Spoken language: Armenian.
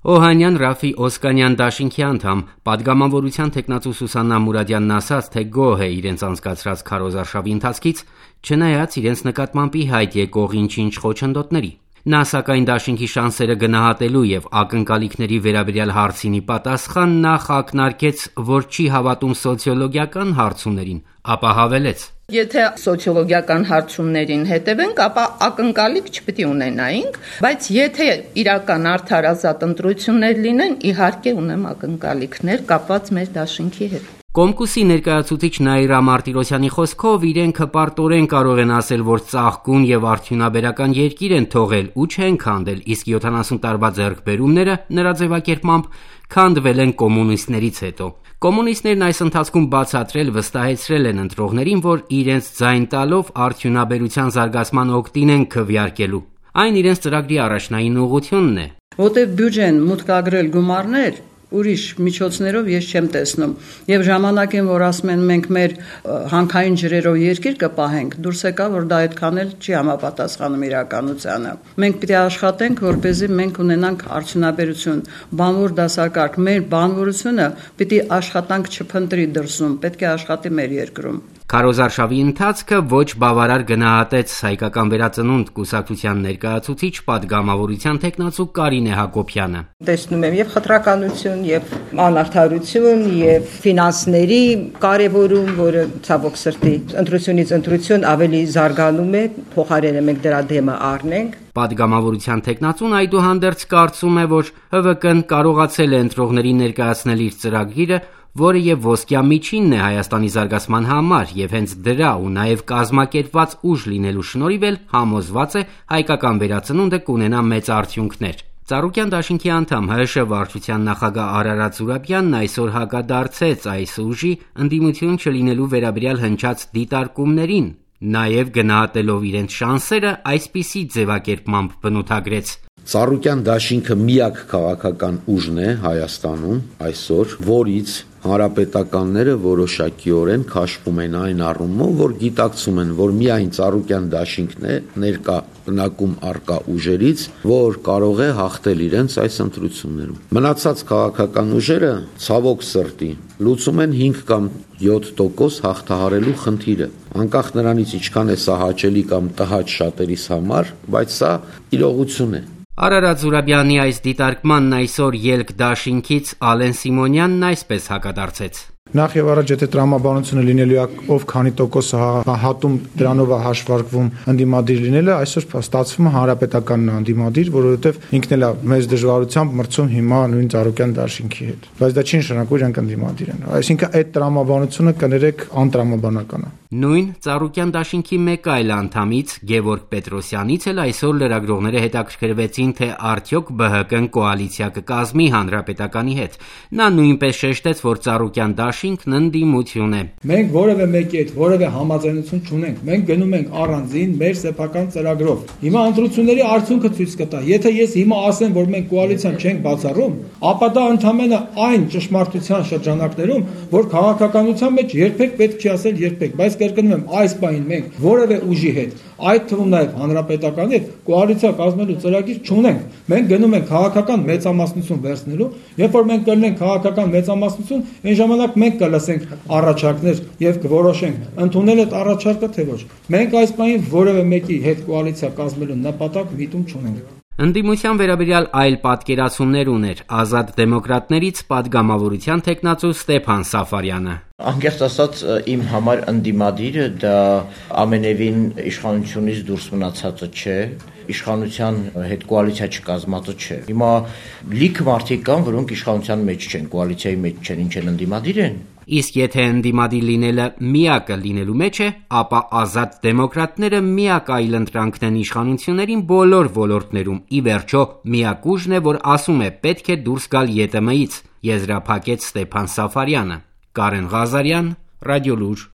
Օհանյան, Ռաֆի, Օսկանյան դաշինքի անդամ, պատգամավորության թեկնածու Սուսաննա Մուրադյանն ասաց, թե գոհ է իրենց անցկացրած քարոզարշավի ընթացքից, չնայած իրենց նկատմամբ ի հայտ եկող ինչ-ինչ խոչընդոտների։ Նա սակայն դաշինքի շանսերը գնահատելու եւ ակնկալիքների վերաբերյալ հարցինի պատասխան նախ ակնարկեց, որ չի հավատում սոցիոլոգիական հարցումներին, ապա հավելեց. Եթե սոցիոլոգիական հարցումներին հետևենք, ապա ակնկալիք չպետք է ունենայինք, բայց եթե իրական արդար ազատ ընտրություններ լինեն, իհարկե ունեմ ակնկալիքներ կապված մեր դաշինքի հետ։ Կոմկուսի ներկայացուցիչ Նաիրա Մարտիրոսյանի խոսքով իրենք հպարտորեն կարող են ասել, որ ծաղկուն եւ արդյունաբերական երկիր են թողել ու չեն քանդել, իսկ 70 տարվա ձեռքբերումները նրա ձևակերպմամբ քանդվել են կոմունիստներից հետո։ Կոմունիստներն այս ընթացքում բացատրել վստահեցրել են ընտրողներին, որ իրենց ձայն տալով արդյունաբերության զարգացման օգտին են քվեարկելու։ Այն իրենց ծրագրի առաջնային ուղղությունն է։ Որտեղ բյուջեն մուտք ագրել գումարներ ուրիշ միջոցներով ես չեմ տեսնում եւ ժամանակին որ ասում են մենք մեր հանքային ջրերով երկիր կպահենք դուրս եկա որ դա այդքան էլ չի համապատասխանում իրականությանը մենք պետք է աշխատենք որպեսզի մենք ունենանք արդյունաբերություն բանվոր դասակարգ մեր բանվորությունը պետք է աշխատանք չփնտրի դրսում պետք է աշխատի մեր երկրում Քարոզարշավի ընթացքը ոչ բավարար գնահատեց Հայկական վերածնունդ կուսակցության ներկայացուցիչ պատգամավորության թեկնածու Կարինե Հակոբյանը։ Տեսնում եմ եւ խտրականություն, եւ անարդարություն, եւ ֆինանսների կարեւորում, որը ցավոք սրտի ընտրությունից ընտրություն ավելի զարգանում է, փոխարենը մենք դրա դեմը առնենք։ Պատգամավորության թեկնածուն այդուհանդերձ կարծում է, որ ՀՎԿ-ն կարողացել է ընտրողներին ներկայացնել իր ծրագիրը, որը եւ ոսկյա միջինն է Հայաստանի զարգացման համար եւ հենց դրա ու նաեւ կազմակերպված ուժ լինելու շնորհիվ էլ համոզված է Հայկական վերածնունդը կունենա մեծ արդյունքներ։ Ծառուկյան դաշինքի անդամ ՀՀՇ վարչության նախագահ Արարատ Զուրաբյանն այսօր հակադարձեց այս ուժի ընդդիմություն չլինելու վերաբերյալ հնչած դիտարկումներին, նաեւ գնահատելով իրենց շանսերը այսպիսի ձևակերպմամբ բնութագրեց. Ծառուկյան դաշինքը միակ քաղաքական ուժն է Հայաստանում այսօր, որից հանրապետականները որոշակիորեն քաշվում են այն առումով, որ գիտակցում են, որ միայն Ծառուկյան դաշինքն է ներկա բնակում առկա ուժերից, որ կարող է հաղթել իրենց այս ընտրություններում։ Մնացած քաղաքական ուժերը ցավոք սրտի լուծում են 5 կամ 7% հաղթահարելու խնդիրը։ Անկախ նրանից ինչքան է սա հաճելի կամ տհաճ շատերիս համար, բայց սա իրողություն է։ Արարատ Զուրաբյանի այս դիտարկմանն այսօր ելք դաշինքից Ալեն Սիմոնյանն այսպես հակադարձեց. Նախ եւ առաջ եթե տրամաբանությունը լինելու է ով քանի տոկոսը հատում դրանով է հաշվարկվում ընդդիմադիր լինելը այսօր ստացվում է հանրապետականն ընդդիմադիր որովհետեւ ինքն էլ է մեծ դժվարությամբ մրցում հիմա նույն Ծառուկյան դաշինքի հետ բայց դա չի նշանակում իրանք ընդդիմադիր են այսինքն այդ տրամաբանությունը կներեք անտրամաբանական է Նույն Ծառուկյան դաշինքի մեկ այլ անդամից Գևորգ Պետրոսյանից էլ այսօր լրագրողները հետաքրքրվեցին թե արդյոք ԲՀԿ-ն կոալիցիա կկազմի հանրապետականի հետ նա նույնպես շեշտեց որ Ծառուկյան դաշինքն ընդդիմություն է Մենք որևէ մեկի հետ որևէ համաձայնություն չունենք մենք գնում ենք առանձին մեր սեփական ծրագրով հիմա ընտրությունների արդյունքը ցույց կտա եթե ես հիմա ասեմ որ մենք կոալիցիան չենք բացառում ապա դա ընդհանրապես այն ճշմարտության շրջանակներում որ քաղաքականության մեջ երբեք պետք չի ասել երբեք բայց կրկնում եմ այս բանին մենք որևէ ուժի հետ այդ թվում նաև հանրապետականի հետ կոալիցիա կազմելու ծրագիր չունենք մենք գնում ենք քաղաքական մեծամասնություն վերցնելու երբ որ մենք կլինենք քաղաքական մեծամասնություն այն ժամանակ մենք կլսենք առաջարկներ եւ կորոշենք ընդունել այդ առաջարկը թե ոչ մենք այս բանին որևէ մեկի հետ կոալիցիա կազմելու նպատակ միտում չունենք Ընդդիմության վերաբերյալ այլ պատկերացումներ ուներ Ազատ դեմոկրատներից պատգամավորության թեկնածու Ստեփան Սաֆարյանը Անկեղծ ասած իմ համար ընդդիմադիրը դա ամենևին իշխանությունից դուրս մնացածը չէ իշխանության հետ կոալիցիա չկազմածը չէ Հիմա լիք մարդիկ կան որոնք իշխանության մեջ չեն կոալիցիայի մեջ չեն ինչ են ընդդիմադիր են Իսկ եթե ընդդիմադիր լինելը միակը լինելու մեջ է, ապա ազատ դեմոկրատները միակ այլընտրանքն են իշխանություններին բոլոր ոլորտներում։ Ի վերջո, միակ ուժն է, որ ասում է պետք է դուրս գալ ԵՏՄ-ից, եզրափակեց Ստեփան Սաֆարյանը։ Կարեն Ղազարյան, Ռադիոլուր